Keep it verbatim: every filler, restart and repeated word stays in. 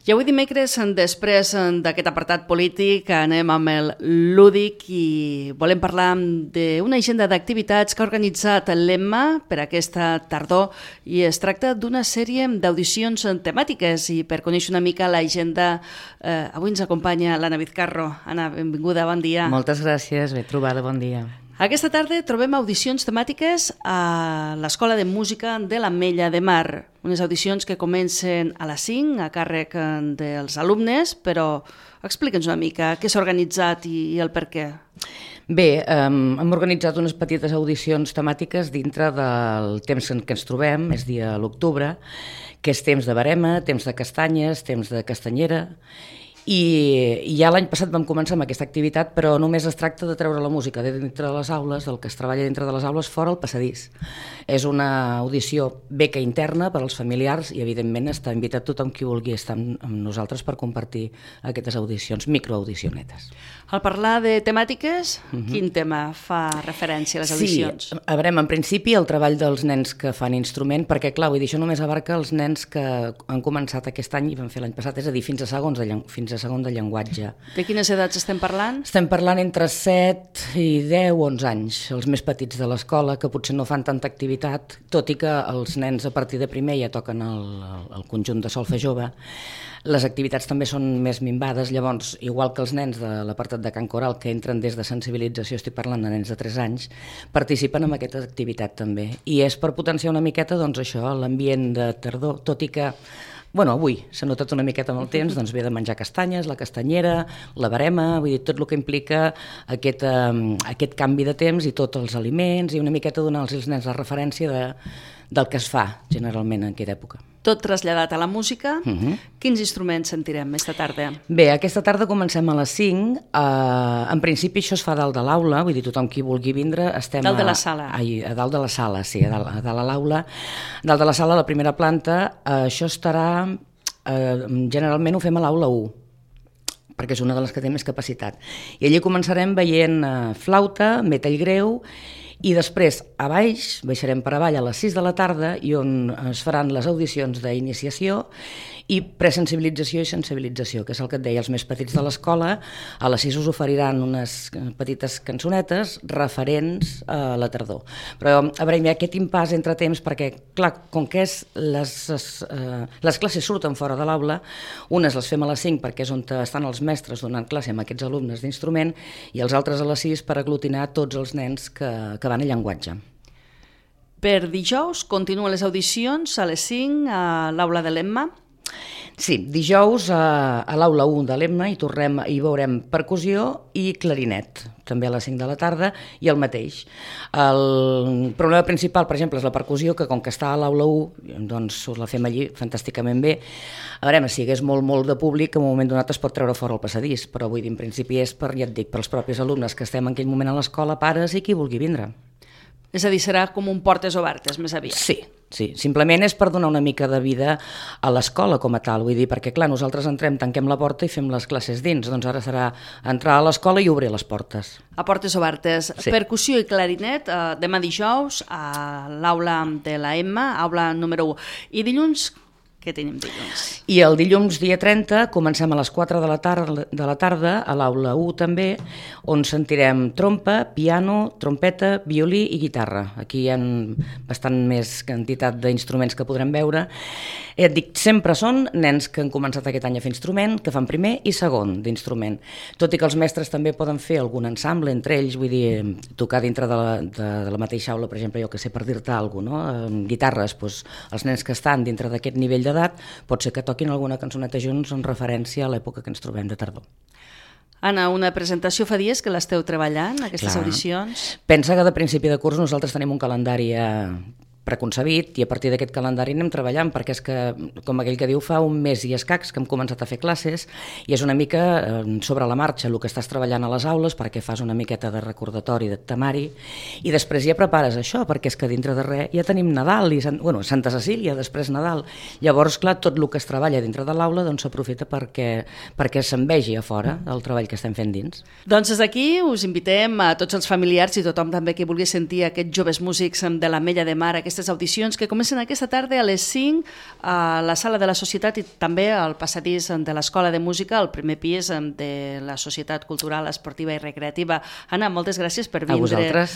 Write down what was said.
I avui dimecres, després d'aquest apartat polític, anem amb el lúdic i volem parlar d'una agenda d'activitats que ha organitzat l'Emma per aquesta tardor i es tracta d'una sèrie d'audicions temàtiques i per conèixer una mica l'agenda eh, avui ens acompanya l'Anna Vizcarro. Anna, benvinguda, bon dia. Moltes gràcies, ben trobada, bon dia. Aquesta tarda trobem audicions temàtiques a l'Escola de Música de l'Ametlla de Mar. Unes audicions que comencen a les cinc a càrrec dels alumnes, però explica'ns una mica què s'ha organitzat i, i el per què. Bé, um, hem organitzat unes petites audicions temàtiques dintre del temps en què ens trobem, és dia a l'octubre, que és temps de verema, temps de castanyes, temps de castanyera. I ja l'any passat vam començar amb aquesta activitat, però només es tracta de treure la música de dintre de les aules, del que es treballa dintre de les aules, fora el passadís. És una audició beca interna per als familiars i, evidentment, està invitat tothom qui vulgui estar amb nosaltres per compartir aquestes audicions, microaudicionetes. Al parlar de temàtiques, uh-huh. quin tema fa referència a les audicions? Sí, a veure, en principi el treball dels nens que fan instrument, perquè, clar, vull dir, això només abarca els nens que han començat aquest any i van fer l'any passat, és a dir, fins a segons de llen- fins a segon de llenguatge. De quines edats estem parlant? Estem parlant entre set i deu o onze anys, els més petits de l'escola, que potser no fan tanta activitat, tot i que els nens a partir de primer ja toquen el, el conjunt de solfa jove. Les activitats també són més minvades, llavors, igual que els nens de l'apartat de cant coral, que entren des de sensibilització, estic parlant de nens de tres anys, participen en aquesta activitat també. I és per potenciar una miqueta, doncs això, l'ambient de tardor, tot i que Bueno, avui s'ha notat una miqueta amb el temps, doncs ve de menjar castanyes, la castanyera, la verema, vull dir, tot el que implica aquest, eh, aquest canvi de temps i tots els aliments i una miqueta donar-los als nens la referència de, del que es fa generalment en aquella època. Tot traslladat a la música. Uh-huh. Quins instruments sentirem aquesta tarda? Bé, aquesta tarda comencem a les cinc. Uh, en principi això es fa dalt de l'aula, vull dir, tothom qui vulgui vindre estem dalt de la a, sala. A, a dalt de la sala, sí, a dalt, a dalt de l'aula. Dalt de la sala, a la primera planta, uh, això estarà... Uh, generalment ho fem a l'aula u, perquè és una de les que té més capacitat. I allí començarem veient uh, flauta, metall greu, i després a baix, baixarem per avall a les sis de la tarda i on es faran les audicions d'iniciació i presensibilització i sensibilització, que és el que et deia, els més petits de l'escola. A les sis us oferiran unes petites cançonetes referents a la tardor. Però, a veure, hi ha aquest impàs entre temps perquè, clar, com que és les, eh, les classes surten fora de l'aula, unes les fem a les cinc perquè és on estan els mestres donant classe amb aquests alumnes d'instrument i els altres a les sis per aglutinar tots els nens que, que van a llenguatge. Per dijous continuen les audicions a les cinc a l'aula de l'Emma. Sí, dijous a, a l'aula u de l'Emma hi tornem i veurem percussió i clarinet, també a les cinc de la tarda, i el mateix. El problema principal, per exemple, és la percussió, que com que està a l'aula u, doncs us la fem allí fantàsticament bé. A veure, si hi hagués molt, molt de públic, en un moment donat es pot treure fora el passadís, però vull dir, en principi és per, ja et dic, pels propis alumnes que estem en aquell moment a l'escola, pares i qui vulgui vindre. És a dir, serà com un portes obertes, més aviat. Sí, sí, simplement és per donar una mica de vida a l'escola com a tal, vull dir, perquè clar, nosaltres entrem, tanquem la porta i fem les classes dins, doncs ara serà entrar a l'escola i obrir les portes. A portes obertes. Sí. Percussió i clarinet, eh, demà dijous a l'aula de la Emma, aula número u. I dilluns, què tenim dilluns? I el dilluns dia trenta comencem a les quatre de la tarda, de la tarda a l'aula u també, on sentirem trompa, piano, trompeta, violí i guitarra. Aquí hi ha bastant més quantitat d'instruments que podrem veure. Et dic, sempre són nens que han començat aquest any a fer instrument, que fan primer i segon d'instrument. Tot i que els mestres també poden fer algun ensemble entre ells, vull dir, tocar dintre de la, de, de la mateixa aula, per exemple, jo que sé, per dir-te alguna cosa, no? En guitarres, doncs, els nens que estan dintre d'aquest nivell d'edat, pot ser que toquin alguna cançoneta junts en referència a l'època que ens trobem de tardor. Anna, una presentació fa dies que l'esteu treballant, aquestes Clar. audicions? Pensa que de principi de curs nosaltres tenim un calendari preconcebit i a partir d'aquest calendari anem treballant perquè és que, com aquell que diu, fa un mes i escacs que hem començat a fer classes i és una mica eh, sobre la marxa el que estàs treballant a les aules perquè fas una miqueta de recordatori, de temari i després ja prepares això perquè és que dintre de res ja tenim Nadal i bueno, Santa Cecília, després Nadal. Llavors, clar, tot el que es treballa dintre de l'aula doncs s'aprofita perquè, perquè se'n vegi a fora el treball que estem fent dins. Doncs des d'aquí us invitem a tots els familiars i tothom també que vulgui sentir aquests joves músics de l'Ametlla de Mar, aquesta aquestes audicions que comencen aquesta tarda a les cinc a la Sala de la Societat i també al passadís de l'Escola de Música, al primer pis de la Societat Cultural, Esportiva i Recreativa. Anna, moltes gràcies per vindre